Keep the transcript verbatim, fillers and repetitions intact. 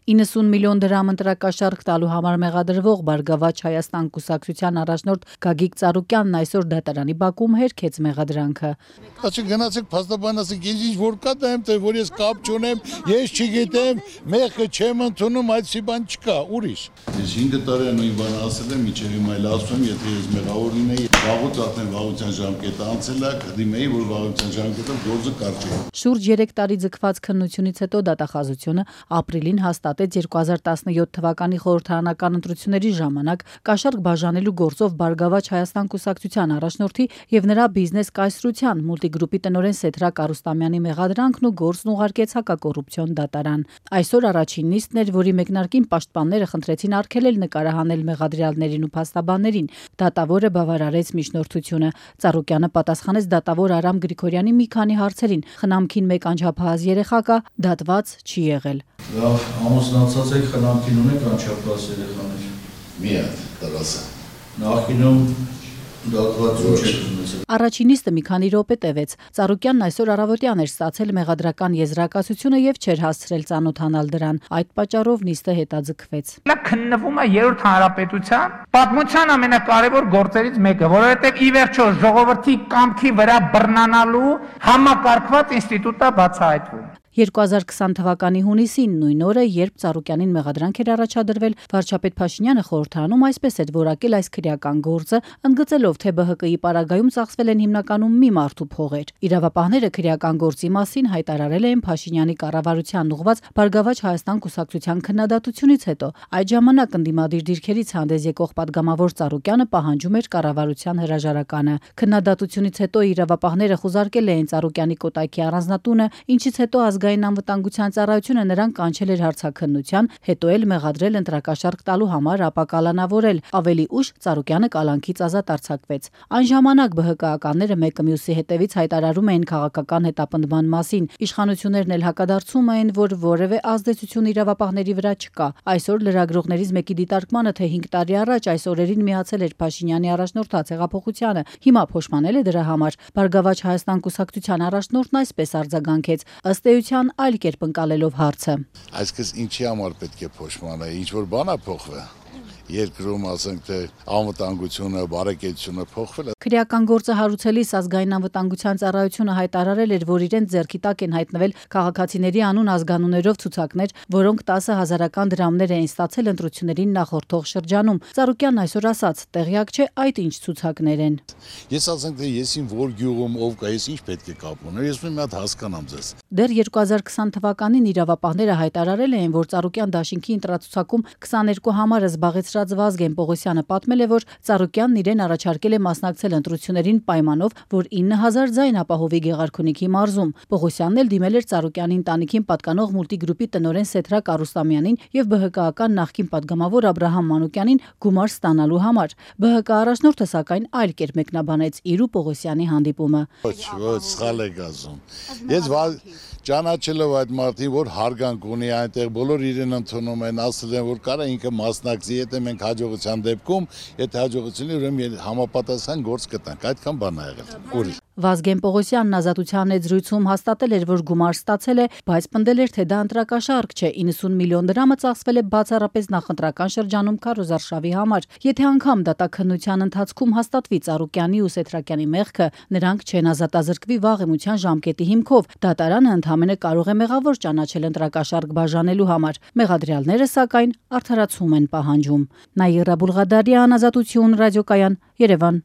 իննսուն միլիոն դրամ ընտրակաշառք տալու համար մեղադրվող Բարգավաճ Հայաստան կուսակցության առաջնորդ Գագիկ Ծառուկյանն այսօր դատարանի բակում հերքեց մեղադրանքը։ Ասի գնացեք փաստաբան, ասեք ինձ ինչ որ կա դա եմ, թե որ ես կապ չունեմ, ես չգիտեմ, մեղքը չեմ ընդունում, այդպիսի բան չկա, ուրիշ։ Ես հինգ տարի նույն բանը ասել եմ, մինչև հիմա էլ ասում, եթե ես մեղավոր լինեի, վաղուց արդեն վաղության ժամկետը անցել է, կդիմեի, որ վաղության ժամկետը գործը կարճ է։ Շուրջ երեք տարի ձգված քննությունից հետո դատախազությունը ապրիլին հաստատեց երկու հազար տասնյոթ թվականի խորհրդարանական ընտրությունների ժամանակ կաշառք բաժանելու գործով Բարգավաճ Հայաստան կուսակցության առաջնորդի եւ նրա բիզնես կայսրության մուլտիգրուպի տնօրեն Սեդրակ Արուստամյանի մեղադրանքն ու գործն ուղարկեց հակակոռուպցիոն դատարան։ Այսօր առաջին նիստն էր, որի մեկնարկին պաշտպանները խնդրեցին արգելել նկարահանել մեղադրյալներին ու փաստաբաններին։ Դատավորը բավարարեց միջնորդությունը։ Ծառուկյանը պատասխանեց դատավոր Արամ Գրիգորյանի մի քանի հարցերին։ Խնամքին մեկ անչափահաս երեխա կա, դատված չի եղել։ Լավ, ամուսնացած եք, խնամքին ունեք անչափահաս երեխաներ։ Մի հատ տղասը։ Նախկինում դատված ոչ եք ունեցել։ Առաջին նիստը մի քանի րոպե տևեց։ Ծառուկյանն այսօր առավոտյան էր ստացել մեղադրական եզրակացությունը եւ չէր հասցրել ծանոթանալ դրան։ Այդ պատճառով նիստը հետաձգվեց։ Նա քննվում է երրորդ հանրապետության պատմության ամենակարևոր գործերից մեկը, որովհետեւ ի վերջո ժողովրդի կամքի վրա բռնանալու համակարգված ինստիտուտ է բացահայտվում։ երկու հազար քսան թվականի հունիսին նույն օրը, երբ Ծառուկյանին մեղադրանք էր առաջադրվել, վարչապետ Փաշինյանը խորհրդարանում այսպես էր որակել այս քրեական գործը, ընդգծելով, թե ԲՀԿ-ի պարագայում ծախսվել են հիմնականում մի մարդու փողեր։ Իրավապահները քրեական գործի մասին հայտարարել էին Փաշինյանի կառավարությանն ուղղված Բարգավաճ Հայաստան կուսակցության քննադատությունից հետո։ Այդ ժամանակ ընդդիմադիր դիրքերից հանդես եկող պատգամավոր Ծառուկյանը պահանջում էր կառավարության հրաժարականը։ Քննադատությունից հետո իրավապահները խուզարկել էին Ծառուկյանի կոտայքի առանձնատունը, ինչից հետո ազգային անվտանգության ծառայությունը նրան կանչել էր հարցաքննության, հետո էլ մեղադրել ընտրակաշառք տալու համար, ապա կալանավորել։ Ավելի ուշ Ծառուկյանը կալանքից ազատ արձակվեց։ Այն ժամանակ ԲՀԿ-ականները մեկը մյուսի հետևից հայտարարում էին քաղաքական հետապնդման մասին։ Իշխանություններն էլ հակադարձում էին, որ որևէ ազդեցություն իրավապահների վրա չկա։ Այսօր լրագրողներից մեկի դիտարկմանը, թե հինգ տարի առաջ այս օրերին միացել էր Փաշինյանի առաջնորդած հեղափոխությանը, հիմա փոշմանել է դրա համար։ Բարգավաճ Հայաստան կուսակցության առաջնորդն այսպես արձագանքեց, ըստ էության այլ կերպ ընկալելով հարցը։ Այսպես ինչի համար պետք է փոշմանել, ինչ որ բան է փոխվել։ Երկրում ասենք թե անվտանգությունը, բարեկեցությունը փոխվել է։ Քրեական գործը հարուցելիս ազգային անվտանգության ծառայությունը հայտարարել էր, որ իրենց ձեռքի տակ են հայտնվել քաղաքացիների անուն ազգանուններով ցուցակներ, որոնք տասը հազարական դրամներ էին ստացել ընտրություններին նախորդող շրջանում։ Ծառուկյանն այսօր ասաց, տեղյակ չէ այդ ինչ ցուցակներ են։ Ես ասենք թե ես ին որ գյուղում ով կա, ես ինչ պետք է կապ ունեմ, ես մի հատ հասկանամ ձեզ։ Դեռ երկու հազար քսան թվականին իրավապահները հայտարարել էին, որ Ծառուկյան դաշինքի ընտրացուցակում քսաներկու համարը զբաղեցրած Վազգեն Պողոսյանը պատմել է, որ Ծառուկյանն իրեն առաջարկել է մասնակցել ընտրություններին պայմանով, որ ինը հազար ձայն ապահովի Գեղարքունիքի մարզում։ Պողոսյանն էլ դիմել էր Ծառուկյանի ընտանիքին պատկանող մուլտիգրուպի տնօրեն Սեդրակ Արուստամյանին եւ ԲՀԿ-ական նախկին պատգամավոր Աբրահամ Մանուկյանին գումար ստանալու համար։ ԲՀԿ առաջնորդը սակայն այլ կերպ մեկնաբանեց իր ու Պողոսյանի հանդիպումը։ Ոչ, ոչ, սխալ եք ասում։ Ես ճանաչելով այդ մարդին, որ հարգանք ունի այնտեղ, բոլոր իրեն ընդունում են, ասել են, որ կարա ինքը մասնակցի, եթե մենք հաջողության դեպքում, եթե հաջողություն ուրեմն համապատասխան գործ կտանք, այդքան բան ա եղել։ Ուրիշ։ Վազգեն Պողոսյանն ազատության զրույցում հաստատել էր, որ գումար ստացել է, բայց պնդել էր, թե դա ընտրակաշառք չէ, իննսուն միլիոն դրամը ծախսվել է բացառապես նախընտրական շրջանում քարոզարշավի համար։ Եթե անգամ դատաքննության ընթացքում հաստատվի Ծառուկյանի ու Սեդրակյանի մեղքը, նրանք չեն ազատազրկվի վաղեմության ժամկետի հիմքով։ Դատարանը ընդհանրապես կարող է մեղավոր ճանաչել ընտրակաշառք բաժանելու համար։ Մեղադրյալները սակայն արդարացում են պահանջում։ Նաիրա Բուլղադարյան, Ազատություն, ռադիոկայան, Երևան։